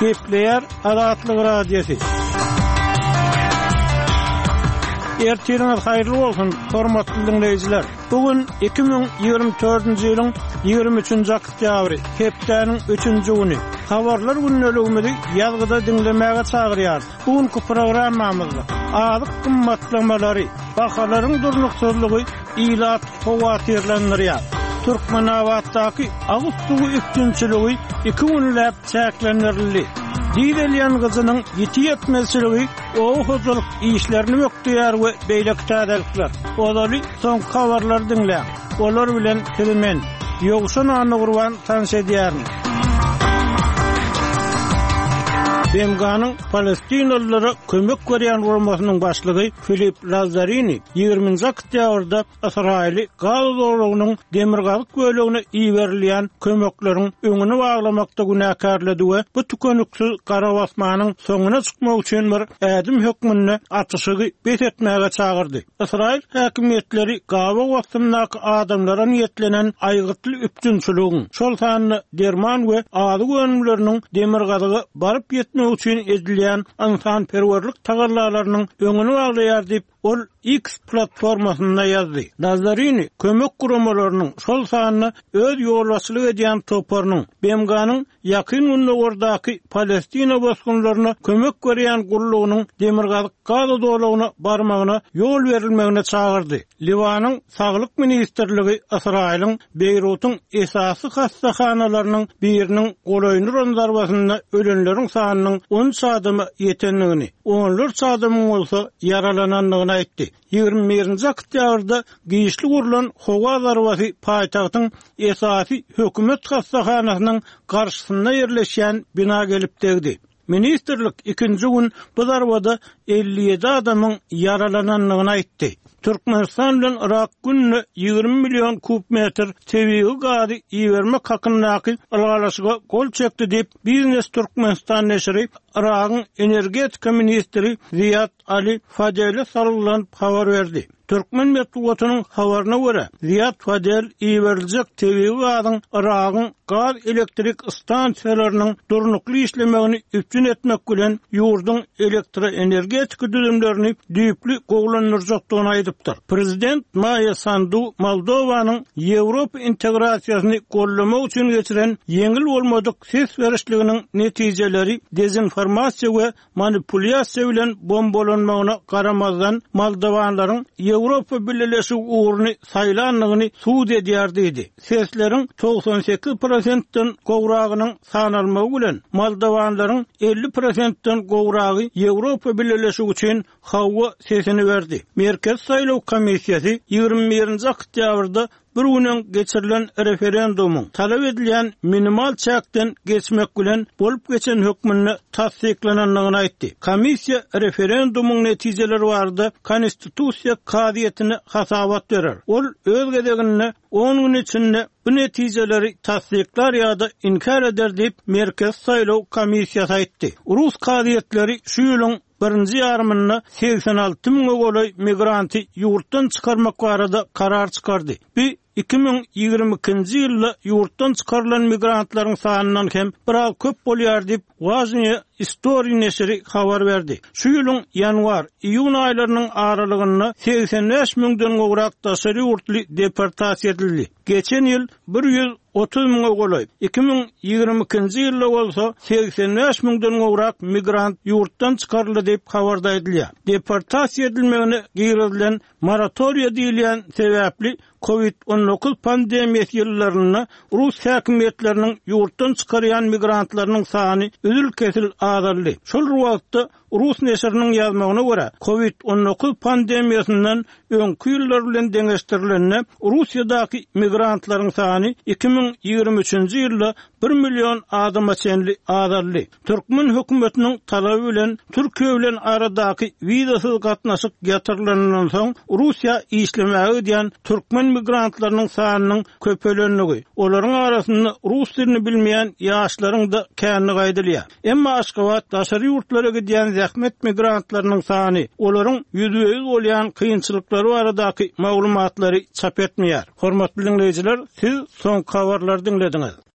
Gepleýär Azatlyk Radiosy. Ertiriňiz haýyrly bolsun, hormatly diňleýjiler! Bu gün 2024-nji ýylyň 23-nji oktýabry, hepdäniň üçünji güni. Habarlar gündeligimizi ýazgyda diňlemäge çagyrýarys. Bu günki programmamyzda azyk gymmatlamalary, bahalaryň durnuksyzlygy ilaty howatyrlandyrýar. Türkmenabatdaky agyz suwy üpjünçiligi iki günläp çäklendirildi. Dizel ýangyjynyň ýiti ýetmezçiligi oba hojalyk işlerini bökdeýär we beýleki täzelikler. Ozaly soňky habarlary diňläň. Olar bilen sizi men, Ýowşan Annagurban tanyş edýärin. BMG-niň palestinalylara kömek berýän guramasynyň başlygy Filip Lazzarini 20-nji oktýabrda Ysraýyly Gaza zolagynyň demirgazyk bölegine iberilýän kömekleriň öňüni baglamakda günäkärledi we bu tükeniksiz garabasmanyň soňuna çykmak üçin bir ädim hökmünde atyşygy bes etmäge çagyrdy. Ysraýyl häkimiýetleri gabaw astyndaky adamlara niýetlenen aýgytly üpjünçiligiň, şol sanda derman we azyk önümleriniň demirgazyga baryp ýetmegi üçin edilýän ynsanperwerlik tagallalarynyň öňüni baglaýar diýip, ol X platformasynda ýazdy. Lazzarini kömek guramalarynyň, şol sanda öz ýolbaşçylyk edýän toparynyň, BMG-niň Ýakyn Gündogardaky Palestina bosgunlaryna kömek berýän gullugynyň demirgazyk Gaza zolagyna barmagyna ýol berilmegine çagyrdy. Liwanyň Saglyk ministrligi Ysraýylyň Beýrutyň esasy hassahanalarynyň biriniň golaýyny uran zarbasynda ölenleriň sanynyň 13 adama ýetendigini, onlarça adamyň bolsa ýaralanandygyny aýtdy. 21-nji oktýabrda giçlik urlan howa zarbasy paýtagtyň esasy hökümet hassahanasynyň garşysynda ýerleşýän bina gelip degdi. Ministrlik ikinji gün bu zarbada 57 adamyň ýaralanandygyny aýtdy. Türkmenistan bilen Yrak günde 20 million kub metr tebigy gazy ibermek hakyndaky ylalaşyga gol çekdi diýip, Biznes Türkmenistan neşiri Yragyň energetika ministri Ziýad Ali Fadele salgylanyp habar berdi. Türkmen metbugatynyň habaryna görä, Ziýad Fadel iberiljek tebigy gazyň Yragyň gaz elektrik stansiýalarynyň durnukly işlemegini üpjün etmek bilen, ýurduň elektroenergetika düzümlerini düýpli gowulandyrjakdygyny aýdypdyr. Prezident Maýa Sandu Moldowanyň Ýewropa integrasiýasyny goldamak üçin geçiren ýeňil bolmadyk ses berişliginiň netijeleri dezinformasiýa we manipulýasiýa bilen bombalanmagyna garamazdan, moldowanlaryň Ýewropa Bileleşigi ugruny saýlandygyny subut edýär diýdi. Sesleriň 98 prosentden gowragynyň sanalmagy bilen, moldowanlaryň 50 prosentden gowragy Ýewropa Bileleşigi üçin hawa sesini berdi. Merkezi saýlaw komissiýasy 21-nji oktýabrda Bir gün öň geçirilen referendumyň talap edilýän minimal çäkden geçmek bilen bolup geçen hökmünde tassyklanandygyny aýtdy. Komissiýa referendumyň netijeleri barada Konstitusiýa kazyýetine hasabat berer. Ol öz gezeginde on gün içinde bu netijeleri tassyklar ýa-da inkär eder diýip, Merkezi saýlaw komissiýasy aýtdy. Rus kazyýetleri şu ýylyň birinji ýarymynda 86 müňe golaý migranty ýurtdan çykarmak barada karar çykardy. Bu 2022-nji ýylda ýurtdan çykarylan migrantlaryň sanyndan hem biraz köp bolýar diýip, Wažnyýe Istoriý neşiri habar berdi. Şu ýylyň ýanwar, iýun aýlarynyň aralygynda 85 müňden gowrak daşary ýurtly deportasiýa edildi. Geçen ýyl 130 müňe golaý, 2022-nji ýylda bolsa 85 müňden gowrak migrant ýurtdan çykaryldy diýip, habarda aýdylýar. Deportasiýa edilmegine girizilen moratoriýa diýilýän sebäpli Covid 19 pandemiýasy ýyllarynda rus häkimiýetleriniň ýurtdan çykarýan migrantlarynyň sany üzül-kesil azaldy. Şol bir wagtda, Rus neşiriniň ýazmagyna görä, Covid 19 pandemiýasyndan öňki ýyllar bilen deňeşdirilende, Russiýadaky migrantlaryň sany 2023-nji ýylda bir million adama çenli azaldy. Türkmen hökümetiniň talaby bilen Türkiýe bilen aradaky wizasyz gatnaşyk ýatyrylanyndan soň, Russiýa işlemäge gidýän türkmen migrantlarynyň sanynyň köpelendigi, olaryň arasynda rus dilini bilmeýän ýaşlaryň-da kändigi aýdylýar. Emma Aşgabat daşary ýurtlara gidýän zähmet migrantlarynyň sany, olaryň ýüzbe-ýüz bolýan kynçylyklary baradaky maglumatlary çap etmeýär. Hormatly diňleýjiler, siz soňky habarlary diňlediňiz.